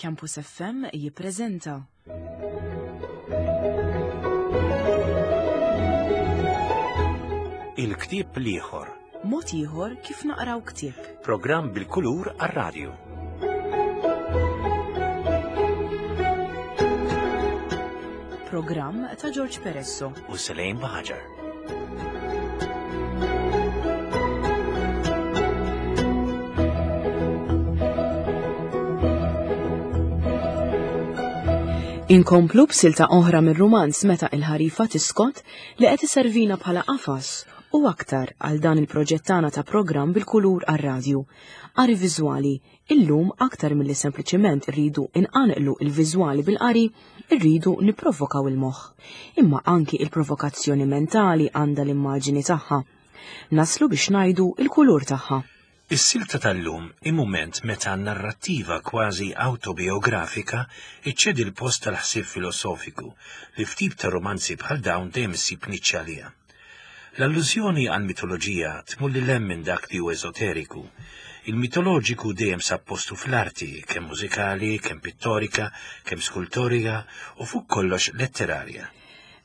Campus FM jippreżenta. Il-ktieb l-ieħor. Mod ieħor kif naqraw ktieb. Programm bil-kulur għar-radju. Programm ta' George Peresso. U Selejn Baħaġar. Inkomplu b'silta oħra mir-rumanz Meta il-ħarifa tiskot li qed iservina bħala qafas u aktar għal dan il-proġett tagħna ta' programm bil-kulur għar-radju. Qari viżwali, illum aktar milli sempliċement irridu inqanqlu il-viżwali bil-qari, irridu nipprovokaw il-moħħ. Imma anki il-provokazzjoni mentali għandha l-immaġini tagħha. Naslu biex ngħidu il-kulur tagħha. Is-silta tal-lum hi mument meta n-narrattiva kważi awtobiografika iċċedi l-post tal-ħsieb filosofiku li f'tip ta' romanzi bħal dawn dejjem issib niċċa għaliha. L-allużjoni għall-mitoloġija tmur lil hemm minn dak li hu eżoteriku. Il-mitoloġiku dejjem sab postu fl-arti, kemm mużikali, kemm pittorika, kemm skultorika u fuq kollox letterarja.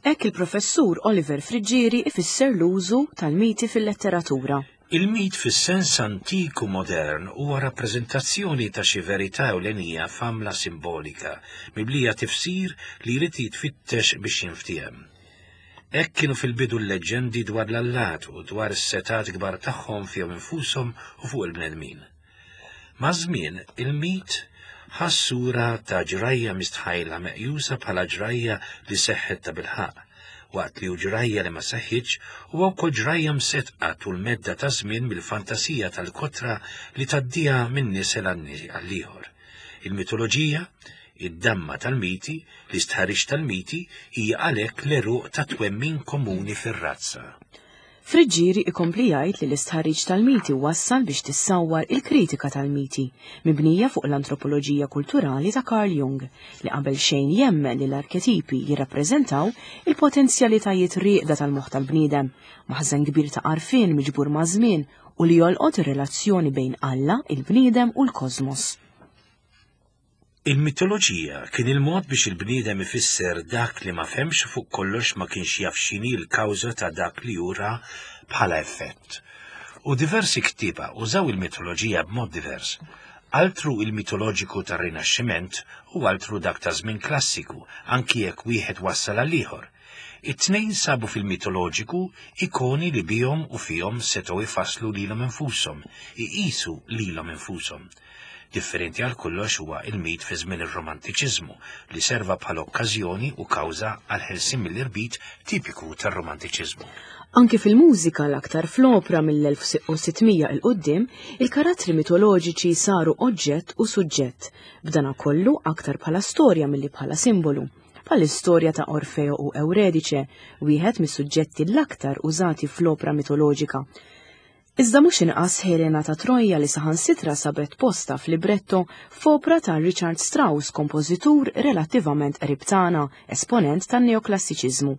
Hekk il-Professur Oliver Friggieri ifisser l-użu tal-miti fil-letteratura. Il-mit fis-sens antik u modern huwa rappreżentazzjoni ta' xi verità ewlenija f'għamla simbolika, mimlija tifsir li jrid jitfittex biex jinftiehem. Hekk kienu fil-bidu l-leġġendi dwar l-allat u dwar is-setgħat kbar tagħhom fihom infushom u fuq il-bnedmin. Maż-żmien, il-mit ħa s-sura ta' ġrajja mistħajla meqjusa bħala ġrajja li seħħet tabilħaqq, waqt li hu ġrajja li ma seħħitx huwa wkoll ġrajja mseddqa tul medda ta' żmien mill-fantasija tal-kotra li tgħaddiha minn nisel għall-ieħor. Il-mitoloġija, id-damma tal-miti, l-istħarriġ tal-miti, hija għalhekk l-għeruq tat-twemmin komuni fir-razza. Friggieri ikompli jgħid li l-istħarriġ tal-miti wassal biex tissawwar il-kritika tal-miti, mibnija fuq l-antropoloġija kulturali ta' Carl Jung, li qabel xejn jemmen li l-arketipi jirrappreżentaw il-potenzjalitajiet rieqda tal-moħħ tal-bniedem, maħżen kbir ta' għarfien miġbur maż-żmien u li jolqot ir-relazzjoni bejn Alla, il-bniedem u l-kosmos. Il-mitoloġija kien il-mod biex il-bniedem ifisser dak li ma fehmx u fuq kollox ma kienx jaf x'inhi l-kawża ta' dak li hu ra bħala effett. U diversi ktieba użaw il-mitoloġija b'mod divers. Altru il-mitoloġiku tar-Rinaxximent u altru dak ta' żmien klassiku, anki jekk wieħed wassal għall-ieħor. It-tnejn sabu fil-mitoloġiku ikoni li bihom u fihom setgħu jfasslu lilhom infushom, iqisu lilhom infushom. Differenti għal kollox huwa il-mit fi żmien ir-Romantiċiżmu li serva bħala okkażjoni u kawża għall-ħelsien mill-irbit tipiku tar-Romantiċiżmu. Anki fil-mużika l-aktar fl-opra mill-1600 'il quddiem, il-karattri mitoloġiċi saru oġġett u suġġett, b'danakollu aktar bħala storja milli bħala simbolu. bħall-istorja ta' Orfeo u Ewredice, wieħed mis-suġġetti l-aktar użati fl-opra mitoloġika. Iżda mhux inqas Helena ta' Trojja li saħansitra sabet postha f'libretto f'opra ta' Richard Strauss, kompożitur relattivament qrib tagħna, esponent tan-neoklassiċiżmu.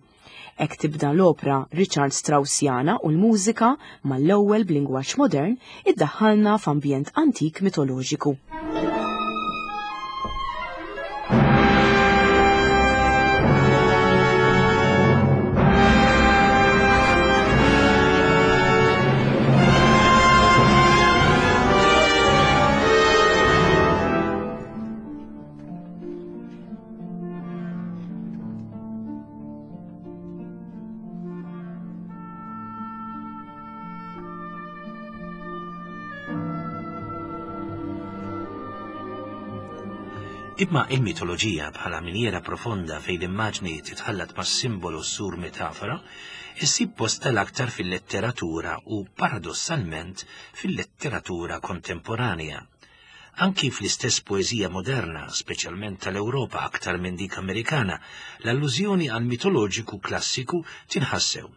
Hekk tibda l-opra Richard Straussiana u l-mużika, mal-ewwel b'lingwaġġ modern, iddaħħalna f'ambjent antik mitoloġiku. Imma il-mitoloġija bħala minjera profonda fejn l-immaġni titħallat mas-simbolu sur metafora, issib posta l-aktar fil-letteratura u paradossalment fil-letteratura kontemporanja. Anki fl-istess poeżija moderna, speċjalment tal-Ewropa aktar minn dik Amerikana, l-allużjoni għall-mitoloġiku klassiku tinħass sew.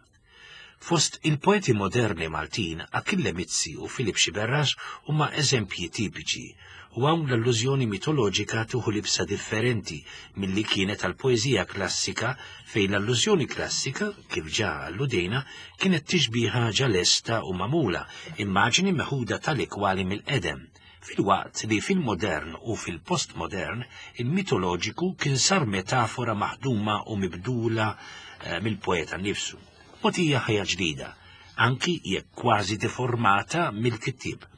Fost il-poeti moderni Maltin, Achille Mizzi u Philip Sciberras huma eżempji tipiċi, u hawn l-allużjoni mitoloġika tieħu libsa differenti milli kienet għall-poeżija klassika fejn l-allużjoni klassika, kif ġa alludejna, kienet tixbiha ġa lesta u magħmula, immaġni meħuda tali kwali mill-qedem. Filwaqt li fil-modern u fil-postmodern il-mitoloġiku kien sar metafora maħduma u mibdula eh, mill-poeta nnifsu. Mogħtija ħajja ġdida, anki jekk kważi deformata mill-kittieb.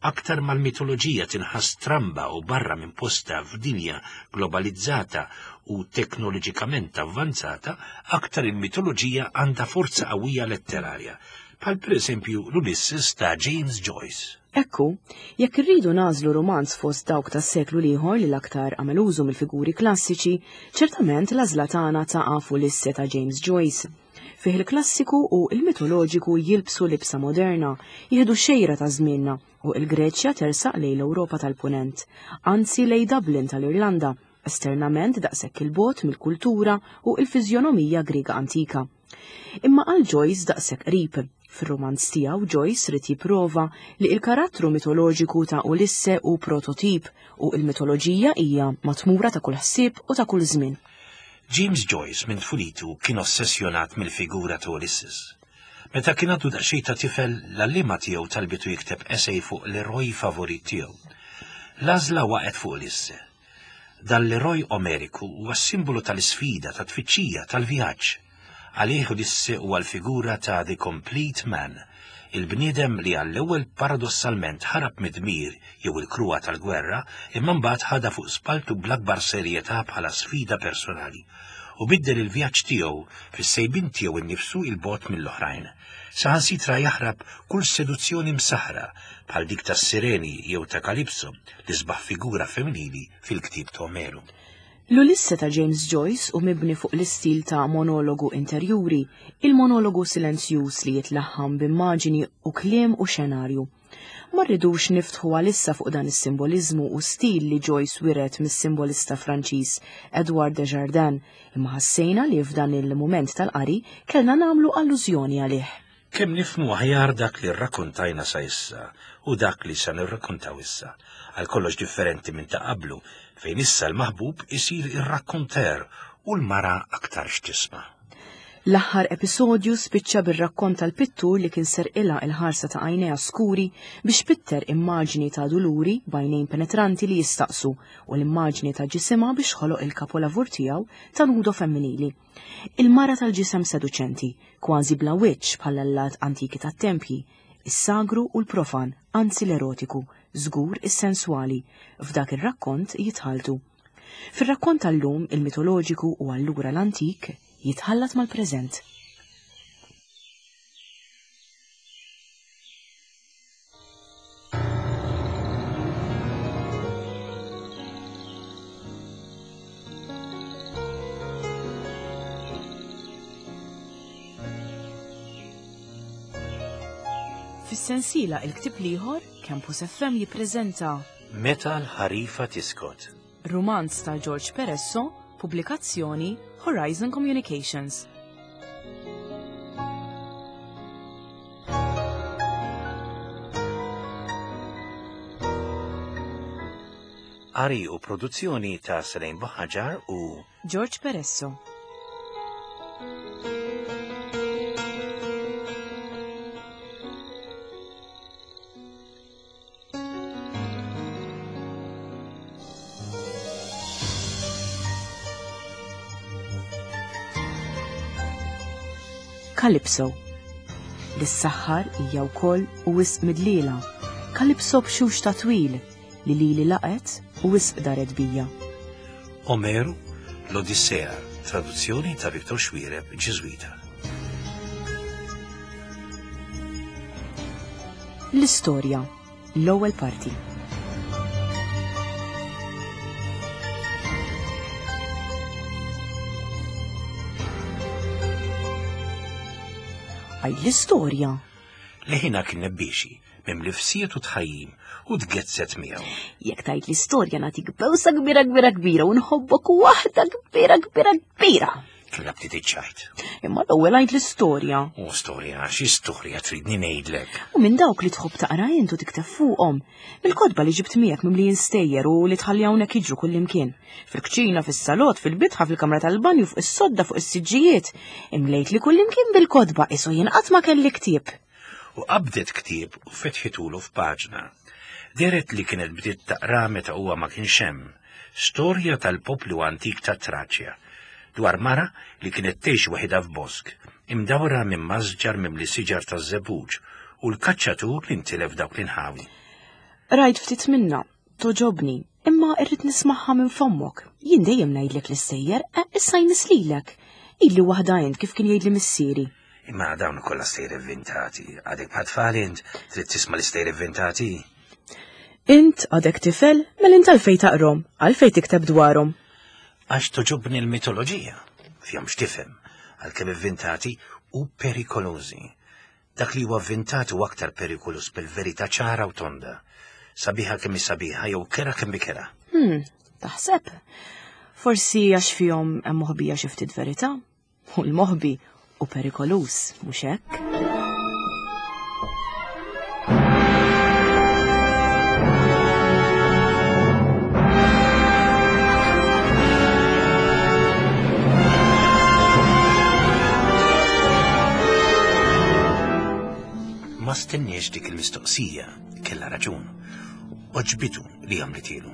Aktar ma l-mitoloġija tinħass stramba u barra minn postha f'dinja globalizzata u teknoloġikament avvanzata, aktar il-mitoloġija għandha forza qawwija letterarja, bħal pereżempju l-Ulysses ta' James Joyce. Ekku, jekk irridu nagħżlu rumanz fost dawk tas-seklu l-ieħor li l-aktar għamel użu mill-figuri klassiċi, ċertament l-għażla tagħna taqa' f'Ulisse ta' James Joyce. Fih il-klassiku u il-mitoloġiku jilbsu libsa moderna, jieħdu xejra ta' żmienna u il-Greċja tersaq lejn l-Ewropa tal-Punent, anzi lejn Dublin tal-Irlanda, esternament daqshekk il-bogħod mill-kultura u il-fiżjonomija Griega antika. Imma għal Joyce daqshekk qrib. Fir-rumanz tiegħu Joyce ried jipprova li il-karattru mitoloġiku ta' Ulisse hu prototip u il-mitoloġija hija matmura ta' kull ħsieb u ta' kull żmien. James Joyce minn tfulitu kien ossessjonat mill-figura ta' Ulysses. Meta kien għadu daqsxejn ta' tifel, l-għalliema tiegħu talbitu jikteb essay fuq l-eroj favorit tiegħu. L-għażla waqgħet fuq Ulisse. Dan l-eroj Omeriku huwa s-simbolu tal-isfida, tat-tfittxija, tal-vjaġġ. Għalih Ulisse huwa l-figura ta' the complete man, il-bniedem li għall-ewwel paradossalment ħarab mid-dmir jew il-kruha tal-gwerra imma mbagħad ħadha fuq spalltu bl-akbar serjetà bħala sfida personali u biddel il-vjaġġ tiegħu fis-sejbien tiegħu nnifsu 'il bogħod mill-oħrajn. Saħansitra jaħrab kull seduzzjoni msaħħra bħal dik tas-Sireni jew ta' Kalipso, l-isbaħ figura femminili fil-ktieb ta' Omeru. L-Ulisse ta' James Joyce hu mibni fuq l-istil ta' monologu interjuri, il-monologu silenzjuż li jitlaħħam b'immaġini u kliem u xenarju. Ma rridux niftħu għalissa fuq dan is-simboliżmu u stil li Joyce wiret mis-simbolista Franċiż Edouard de Jardin, imma ħassejna li f'dan il-mument tal-qari kellna nagħmlu allużjoni għalih. Kemm nifhmu aħjar dak li rrakkontajna sa issa u dak li sa nirrakkontaw issa, għal kollox differenti minn ta' qablu, fejn issa l-maħbub isir ir-rakkonter u l-mara aktarx tisma'. L-aħħar episodju spiċċa bir-rakkont tal-pittur li kien serqilha il-ħarsa ta' għajnejha skuri biex pitter immaġni ta' duluri b'għajnejn penetranti li jistaqsu u l-immaġni ta' ġisimha biex ħoloq il-kapolavur tiegħu ta' nudo femminili. Il-mara tal-ġisem seduċenti, kważi bla wiċċ bħall-allat antiki tat-tempji, is-sagru u l-profan, anzi l-erotiku, żgur is-senswali, f'dak ir-rakkont jitħalltu. Fir-rakkont tal-lum, il-mitoloġiku u allura l-antik jitħallat mal-preżent. Fis-sensiela Il-Ktieb l-Ieħor, Campus FM jippreżenta Meta l-ħarifa tiskot. Rumanz ta' George Peresso, pubblikazzjoni Horizon Communications. Qari u produzzjoni ta' Selene Buħaġar u George Peresso. Calypso. Lis-saħħar hija wkoll u wisq midlila. Calypso b'xux ta' twil li lili laqet u wisq daret bija. Omeru, l-Odissea, traduzzjoni ta' Viktor Xuereb, Ġiżwita. L-istorja, l-ewwel parti. Għaj l-istorja. Leħina kien nebbiexi, mimli fsiet u tħajjim u tgezzet miegħu. Jekk tajt l-istorja nagħtik bewsa kbira kbira kbira u nħobbok waħda kbira kbira kbira. Kellha bdiet iċ-ċajt. Imma l-ewwel għid l-istorja. U storja, xi storja tridni ngħidlek? U minn dawk li tħobb taqra int u tikteb fuqhom. Mill-kotba li ġibt miegħek mimlijin stejjer u li tħalli hawnhekk jiġru kullimkien. Fil-kċina, fis-salott, fil-bitħa, fil-kamra tal-banju, fuq is-sodda, fuq is-siġġijiet. Imlejt li kullimkien bil-kotba qisu jien qatt ma kelli ktieb. U qabdet ktieb u fetħitulu f'paġna. Dehret li kienet bdiet taqra meta huwa ma kienx hemm. Storja tal-poplu antik ta' Traċja, dwar mara li kienet tgħix waħidha f'bosk, imdawra minn masġar mimli siġar taż-żebbuġ u l-kaċċatur li ntilef f'dawk l-inħawi. Qrajt ftit minnha, togħġobni, imma irrid nismagħha minn fommok. Jien dejjem ngħidlek l-istejjer, eh, issa jmiss lilek. Għidli waħda int kif kien jgħidli missieri. Imma dawn kollha stejjer ivvintati. Għadek bħal tfal int, trid tisma' l-istejjer ivvintati. Int għadek tifel, mela int għalfejn taqrom, għalfejn tikteb dwarhom. Għax toġobni l-mitoloġija, fihom x'tifhem, għalkemm ivvintati u perikolużi. Dak li huwa vvintat huwa aktar perikoluż bil-verità ċara u tonda. Sabiħa kemm hi sabiħa jew kera kemm hi kera. Hmm, taħseb? Forsi għax fihom hemm moħbija xi ftit verità? U l-moħbi u perikoluż, mhux hekk? Ma stenniex dik il-mistoqsija, kellha raġun. Oġbitu li għamlitilu.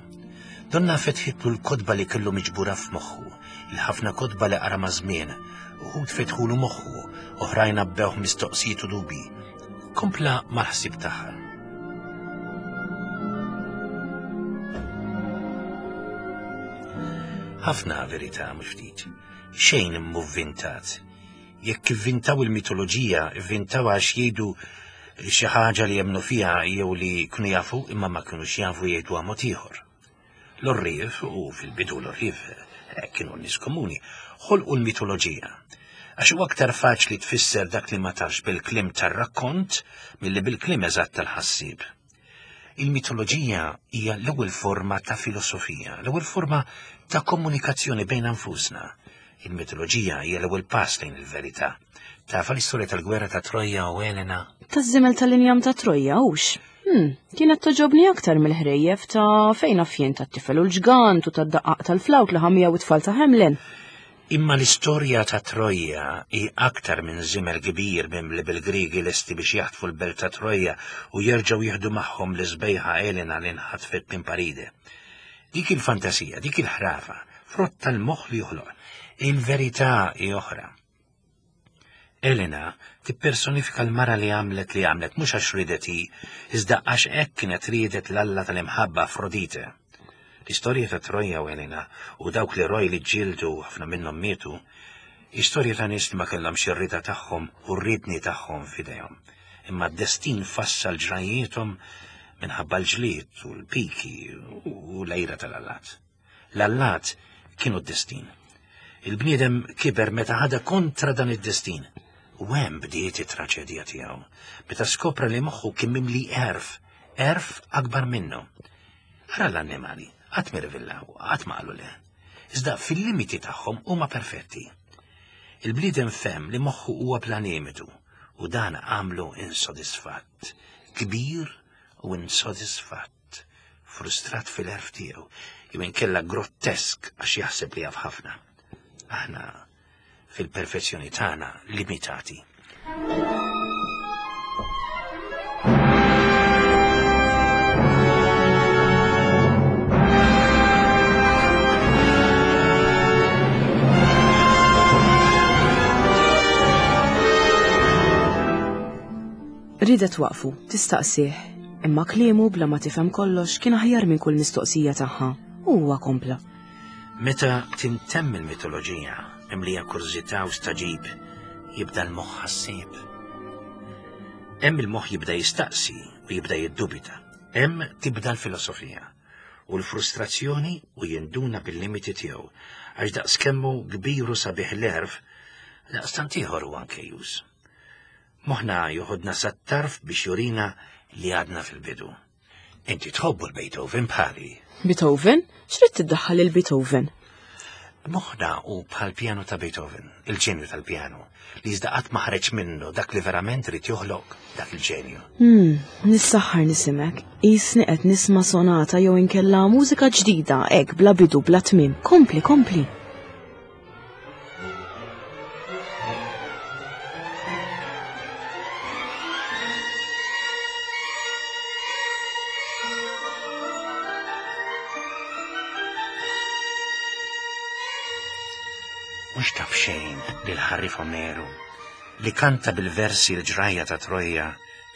Donna fetħitlu l-kotba li kellu miġbura f'moħħu, il-ħafna kotba li qara maż-żmien, uħud fetħulu moħħu, oħrajn għabbewh mistoqsijiet u dubji. Kompla mal-ħsieb tagħha. Ħafna verità mhux ftit. Xejn mhu vvintat. Jekk ivvintaw il-mitoloġija, ivvintaw għax jgħidu xi ħaġa li jemmnu fiha jew li kienu jafu imma ma kinux jafu jgħiduha mod ieħor. L-għorrief, u fil-bidu l-għorrief eh, kienu nies komuni, ħolqu l-mitoloġija. Għax huwa aktar faċli tfisser dak li ma tafx bil-kliem tar-rakkont milli bil-kliem eżatt tal-ħassieb. Il-mitoloġija hija l-ewwel forma ta' filosofija, l-ewwel forma ta' komunikazzjoni bejn anfusna. Il-mitoloġija hija l-ewwel pass lejn il-verità. Tafa l-istorja tal-gwerra ta' Troja u Elena? Taż-żimel tal-injam ta' Troja, hux? Hmm, kienet toġobni aktar mill-ħrejjef ta' fejn afjien tat-tifel u l-ġgant u tad-daqqaq tal-flawt li ħamija u t-tfal ta' Hamlin. Imma l-istorja ta' Trojja hi aktar minn żiemel kbir mimli bil-Griegi lesti biex jaħtfu l-belt ta' Trojja u jerġgħu jieħdu magħhom l-isbejħa Elena li nħatfet minn Paride. Dik il-fantasija, dik il-ħrafa, frott tal-moħħ li joħloq. Il-verità hi oħra. Elena tippersonifika l-mara li għamlet li għamlet mhux għax riedet hi, iżda għax hekk kienet riedet l-alla tal-imħabba Afrodite. L-istorja ta' Troja u Elena u dawk l-eroj li ġġieldu ħafna minnhom mietu, hi storja ta' nies li ma kellhomx ir-rieda tagħhom u r-riedni tagħhom f'idejhom. Imma d-destin fassal ġrajjiethom minħabba l-ġlied u l-piki u l-għira tal-allat. L-allat kienu d-destin. Il-bniedem kiber meta ħadha kontra dan id-destin. U hemm bdiet it-traċedja tiegħu, meta skopra li moħħu kien mimli għerf, għerf akbar minnu. Ara l-annimali, qatt mirvillaw, qatt ma qalu le. Iżda fil-limiti tagħhom huma perfetti. Il-bniedem fehem li moħħu huwa bla limitu u dan għamlu insodisfatt, kbir u insodisfatt. Frustrat fil-għerf tiegħu, jew inkella grottesk għax jaħseb li jaf ħafna. Aħna fil-perfezzjoni tagħna limitati. Riedet twaqqfu, tistaqsih, imma kliemu bla ma tifhem kollox kien aħjar minn kull mistoqsija tagħha, u huwa kompla. Meta tintemm il-mitoloġija, mimlija kurżità u stagħġib, jibda l-moħħ ħassieb. Hemm il-moħħ jibda jistaqsi u jibda jiddubita. Hemm tibda l-filosofija u l-frustrazzjoni u jinduna bil-limiti tiegħu għax daqs kemm hu kbir u sabiħ l-għerf, daqstant ieħor hu anke już. Moħħna joħodna sat-tarf biex jurina li għadna fil-bidu. Inti tħobbu l-Beethoven bħali. Beethoven? X'rid tiddaħħal il-Beethoven? Moħħna hu bħal pjanu ta' Beethoven, il-ġenju tal-pjanu, li iżda qatt ma ħareġ minnu dak li verament irid joħloq dak il-ġenju. Hmm, nissaħħar nisimek. Qisni qed nisma' sonata jew inkella mużika ġdida, hekk bla bidu bla tmiem. Kompli, kompli. Mhux taf xejn li l-ħarrif Omeru, li kanta bil-versi l-ġrajja ta' Trojja,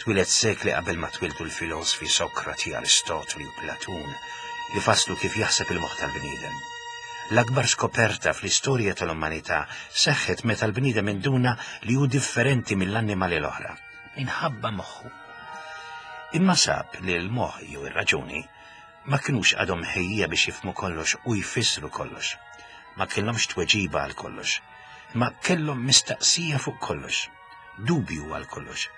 twieled sekli qabel ma twieldu l-filosfi Sokrati, Aristotli u Platun, li fasslu kif jaħseb il-moħħ tal-bniedem. L-akbar skoperta fl-istorja tal-umanità seħħet meta l-bniedem induna li hu differenti mill-annimali l-oħra, minħabba moħħu. Imma sab li l-moħħ jew ir-raġuni ma kinux għadhom mħejjija biex jifhmu kollox u jfissru kollox. Ma kellhomx tweġiba għal kollox, imma kellhom mistaqsija fuq kollox, dubju għal kollox.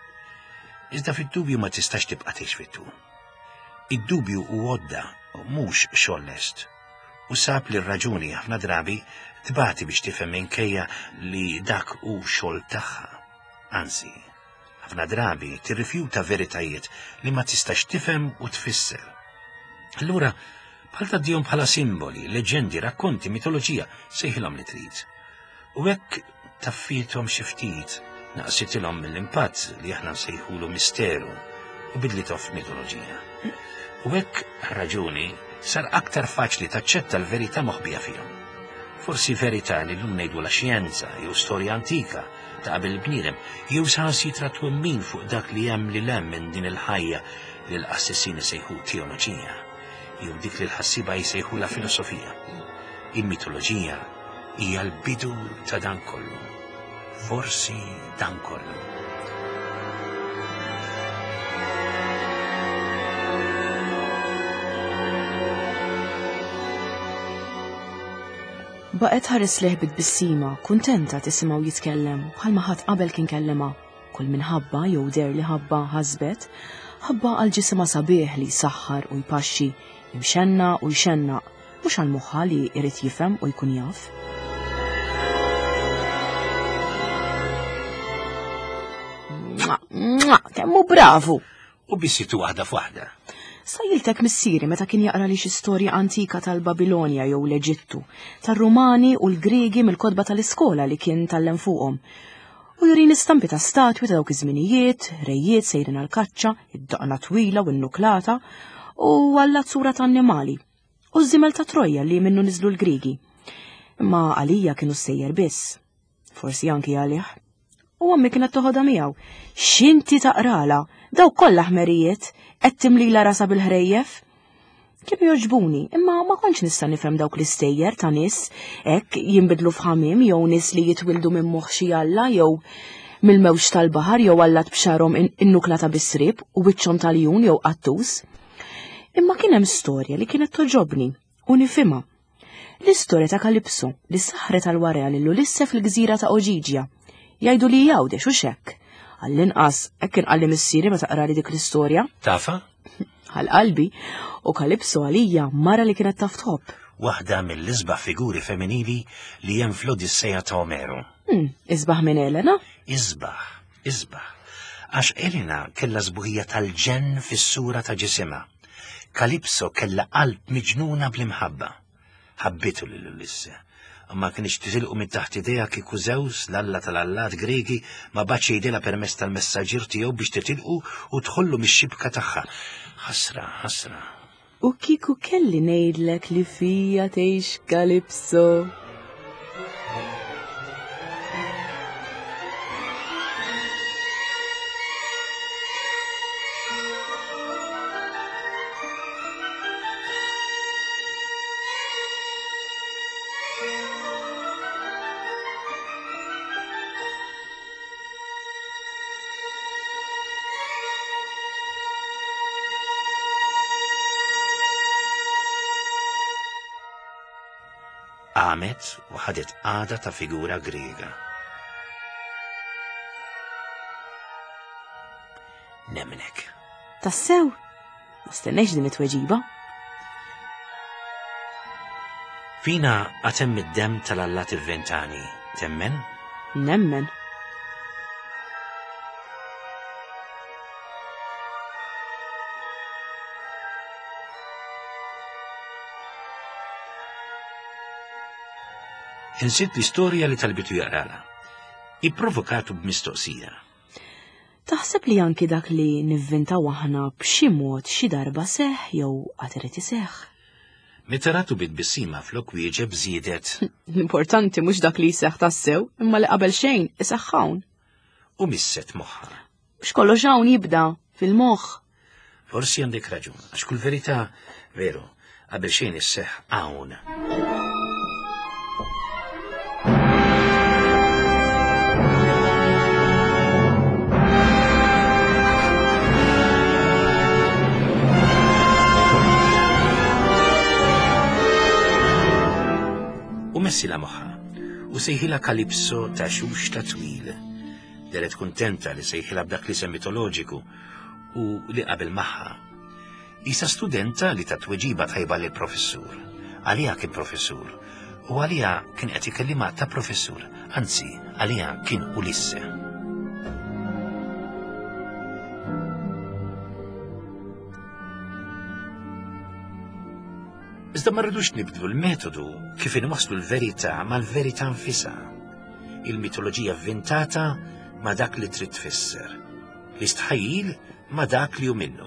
Iżda fid-dubju ma tistax tibqa' tgħix fit-tul. Id-dubju hu għodda, mhux xogħol lest. U sab li r-raġuni ħafna drabi tbati biex tifhem minkejja li dak hu xogħol tagħha. Anzi, Ħafna drabi tirrifjuta veritajiet li ma tistax tifhem u tfisser. Allura, bħal tgħaddihom bħala simboli, leġendi, rakkonti, mitoloġija, sejħilhom li trid. U hekk taffiethom xi ftit, naqsitilhom mill-impatt li aħna nsejħulu misteru u bidlithom f'mitoloġija. U hekk raġuni sar aktar faċli taċċetta l-verità moħbija fihom. Forsi verità li llum ngħidulha xjenza jew storja antika, ta' qabel il-bniedem, jew saħansitra twemmin fuq dak li hemm lil hemm minn din il-ħajja li l-qassisin isejħu teoloġija, jew dik li l-ħassieba jsejħulha filosofija. Il-mitoloġija hija l-bidu ta' dan kollu. Forsi dan kollu. Baqgħet tħares lejh bi tbissima, kuntenta tisimgħu jitkellem bħalma ħadd qabel kien kellimha. Kull min ħabbha jew deher li ħabbha ħasbet, ħabbha għal ġisimha sabiħ li jsaħħar u jpaxxi, imxennaq u jxennaq, mhux għal moħħha li jrid jifhem u jkun jaf. Kemm hu bravu! U bissitu waħda f'waħda. Sajjiltek missieri meta kien jaqra li xi storja antika tal-Babilonja jew l-Eġittu, tar-Rumani u l-Griegi mill-kotba tal-iskola li kien tgħallem fuqhom. U jurini stampi ta' statwi ta' dawk iż-żminijiet, rejiet sejrin għall-kaċċa, id-daqna twila u n-nuklata, u għallat sura ta' annimali. U ż-żimel ta' Trojja li minnu niżlu l-Griegi. Imma għalija kienu sejjer biss. Forsi anki għalih. U ommi kienet toħodha miegħu. X'inti taqrala? Dawk kollha ħmerijiet, qed timlila rasha bil-ħrejjef. Kienu jogħġbuni, imma ma kontx nista' nifhem dawk l-istejjer ta' nies hekk jinbidlu f'ħamiem jew nies li jitwildu minn moħħ xi alla jew mill-mewġ tal-baħar jew allat b'xarhom innuklata bis-sriep u wiċċhom tal-jun jew qattus. Imma kien hemm storja li kienet toġobni u nifhimha. L-istorja ta' Kalipso li saħret għal warea lil Ulisse fil-gżira ta' Oġiġja. Jgħidu li jgħawdex u xekk. Għall-inqas, hekk kien qalli missieri meta qrali dik l-istorja. Tafa? Għal qalbi, u Kalipso għalija mara li kienet taf tħobb. Waħda mill-isbaħ figuri femminili li hemm fl-Odisseja ta' Omeru. Hmm, isbaħ minn Elena? Isbaħ, isbaħ. Għax Elena kellha sbuħija tal-ġenn fis-sura ta' ġisimha. Kalipso kellha qalb miġnuna bl-imħabba. Ħabbitu lil Ulisse. U ma kienx titilqu minn taħt idejha kieku Zeus, l-alla tal-allat Griegi, ma bagħatx jgħidilha permezz tal-messaġġier tiegħu biex titilqu u tħollu mix-xibka tagħha. Ħasra, ħasra. U kieku kelli ngħidlek li fija tgħix Kalipso. Qamet u ħadet qagħda ta' figura Griega. Nemmnek. Tassew? Ma stennejx din it-tweġiba. Fina għatem id-demm tal-allat ivventani, temmen? Nemmen. Insiet l-istorja li talbitu jaqrala. Ipprovokatu b'mistoqsija. Taħseb li anki dak li nivvintaw aħna b'xi mod xi darba seħħ jew għad irid iseħħ? Meta ratu bi tbissima flok wieġeb żiedet. L-importanti mhux dak li jseħħ tassew, imma li qabel xejn iseħħ hawn. U misset moħħha. Mhux kollox hawn jibda fil-moħħ. Forsi għandek raġun, għax kull verità, veru, qabel xejn isseħħ hawn. U messila moħħa u sejħilha Kalipso ta' xuxta twil. Deret kuntenta li sejħilha b'dak l-isem mitoloġiku u li qabel magħha. Isa studenta li ta' tweġiba tajba lil professur. Għaliha kien professur u għaliha kien qed ikellimha ta' professur, anzi għaliha kien Ulisse. Iżda ma rridux nibdlu l-metodu kif inwasslu l-verità mal-verità nfisha. Il-mitoloġija vvintata ma' dak li trid tfisser. L-istħajjil ma' dak li hu minnu.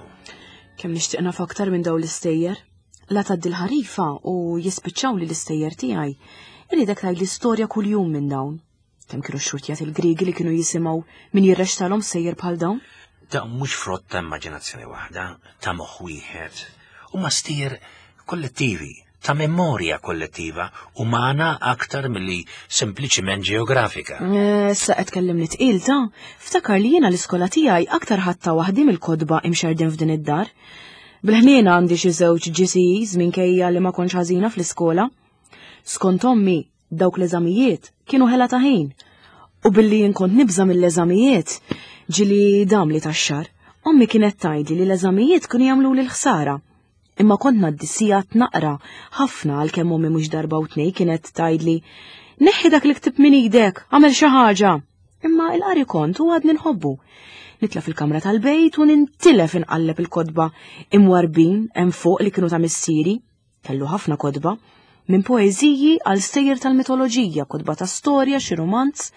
Kemm nixtieq naf aktar minn dawn l-istejjer. La tgħaddi l-ħarifa u jispiċċaw li l-istejjer tiegħi. Irridek tgħid l-istorja kuljum minn dawn. Kemm kienu xxurtjat il-Griegi li kienu jisimgħu min jirrextalhom sejjer bħal dawn? Dawn mhux frott ta' immaġinazzjoni waħda, ta' moħħ wieħed. Huma stejjer kollettivi, ta' memorja kollettiva, umana aktar milli sempliċiment ġeografika. Eh, issa qed tkellimni tqil ta' ftakar li jiena l-iskola tiegħi aktar ħadta waħdi mill-kotba imxerdin f'din id-dar. Bil-ħniena għandi xi żewġ GCEs minkejja li ma kontx ħażina fl-iskola. Skont ommi, Dawk l-eżamijiet kienu ħela ta' ħin. U billi jien kont nibża' mill-eżamijiet, ġieli damli tax-xahar, ommi kienet tgħidli li l-eżamijiet kienu jagħmluli l-ħsara. Imma kont ngħaddi sigħat naqra ħafna għalkemm ommi mhux darba u tnejn kienet tgħidli, Neħħi dak il-ktieb minn idek, agħmel xi ħaġa. Imma il-qari kont u għadni nħobbu. Nitla' fil-kamra tal-bejt u nintilef inqalleb il-kotba imwarbin hemm fuq li kienu ta' missieri. Kellu ħafna kotba, minn poeżiji għal stejjer tal-mitoloġija, kotba ta' storja, xi rumanz.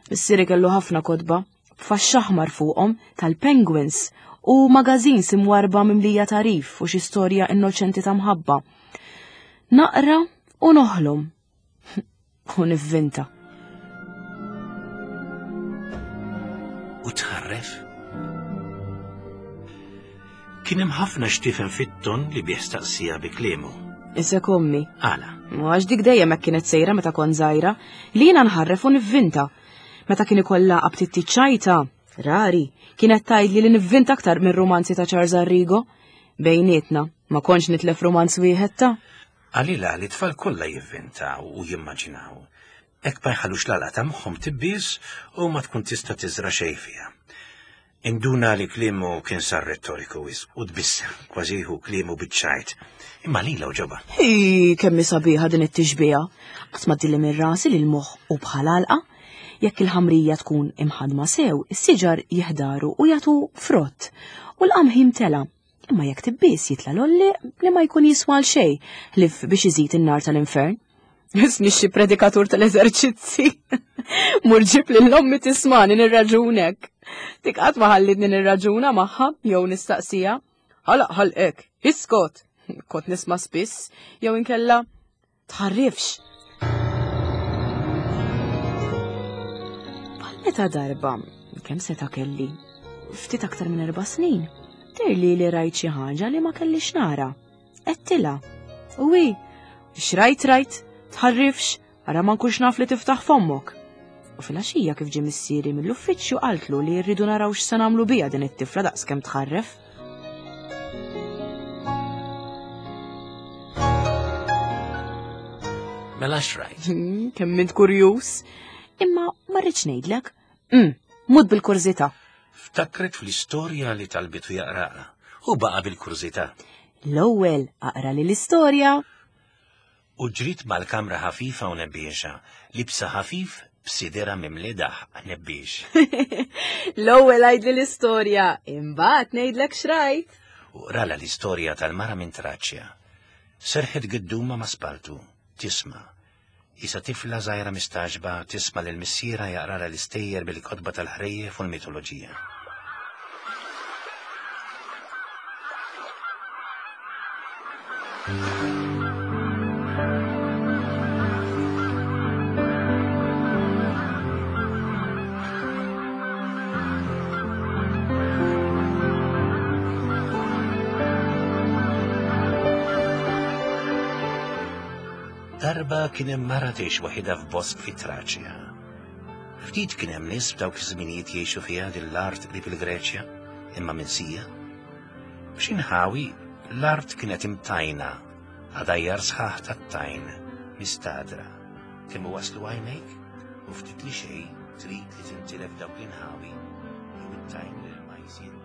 Missieri kellu ħafna kotba, b'faxxa aħmar fuqhom tal-penguins u magazins imwarba mimlija tagħrif u xi storja innoċenti ta' mħabba. Naqra u noħlom. U nivvinta. U tħarref? Kien hemm ħafna x'tifhem fit-ton li bih staqsija bi kliemu. Isek ommi. Għala. Għax dik dejjem hekk kienet sejra meta kont żgħira, li jiena nħarref u nivvinta. Meta kien ikollha aptitti ċajta, rari, kienet tgħidli li nivvinta aktar minn rumanzi ta' Charles Arrigo. Bejnietna, ma kontx nitlef rumanz wieħed ta' Qalilha li t-tfal kollha jivvintaw u jimmaġinaw. Hekk ma jħallux l-għalqa ta' moħħhom tibbies u ma tkun tista' tiżra' xejn fiha. Induna li kliemu kien sar rettoriku wisq u tbissem, kważi jieħu kliemu biċ-ċajt. Imma lilha għoġobha. Hi, kemm hi sabiħa din it-tixbiha. Qatt ma tdilli minn rasi li l-moħħ hu bħal għalqa. Jekk il-ħamrija tkun imħaddma sew, is-siġar jiħdaru u jagħtu frott u l-qamħ jimtela'. Imma jekk tibbies jitla' l-għollieq li ma jkun jiswa għal xejn ħlief biex iżid in-nar tal-infern. Isni xi predikatur tal-eżerċizzi. Mur ġib lil ommi tismani nirraġunek. Dik qatt ma ħallitni nirraġuna magħha jew nistaqsija. Ħalaq ħalqek, iskot. Kont nisma' spiss jew inkella Tħarrifx! Bħal meta darba, kemm seta' kelli, ftit aktar minn erba' snin, dirli li rajt xi ħaġa li ma kellix nara. Għedtilha. U hi, x'rajt rajt, tħarrifx, ara ma nkunx naf li tiftaħ fommok. U filgħaxija kif ġie missieri mill-uffiċċju qaltlu li rridu naraw x'se nagħmlu biha din it-tifla daqskemm tħarref. Mela x'rajt? Hmm, kemm int kurjuż. Imma ma rridx ngħidlek. Hmm, mut bil-kurżità. Ftakret fl-istorja li talbitu jaqraha u baqa' bil-kurżità. L-ewwel aqra li l-istorja. U ġriet mal-kamra ħafifa u nebbiexa, libsa ħafif b'sidirha mimli daħq nebbiex. L-ewwel għidli l-istorja, imbagħad ngħidlek x'rajt. U qralha l-istorja tal-mara minn Traċja. Serħet gidduma ma' spaltu, tisma'. Qisha tifla żgħira mistagħġba tisma' lil missierha jaqralha l-istejjer bil-kotba tal-ħrejjef u l-mitoloġija. Darba kien hemm mara tgħix waħidha f'bosk fi Traċja. Ftit kien hemm nies f'dawk iż-żminijiet jgħixu fiha din l-art qrib il-Greċja, imma minsija. F'xi nħawi l-art kienet imtajna, għadajjar sħaħ tat-tajn, mistadra. Kemm waslu għajnejk u ftit li xejn trid li tintilef dawk l-inħawi jew it-tajn li ma jsiru.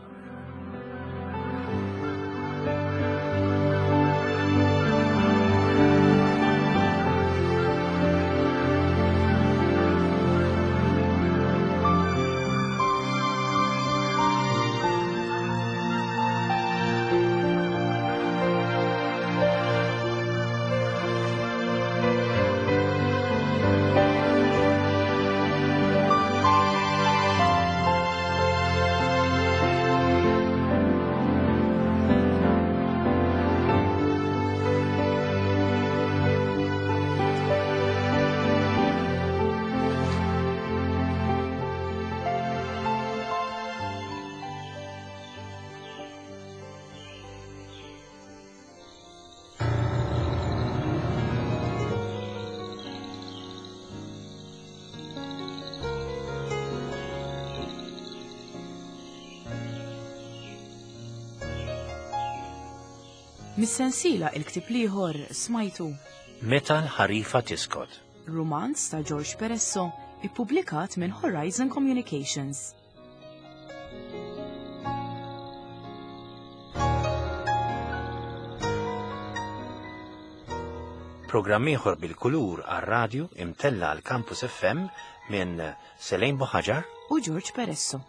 Mis-sensiela Il-Ktieb l-Ieħor smajtu. Meta l-ħarifa tiskot. Rumanz ta' George Peresso, ippubblikat minn Horizon Communications. Programm ieħor bil-kulur għar-radju imtella għal Campus FM minn Selene Buħaġar u George Peresso.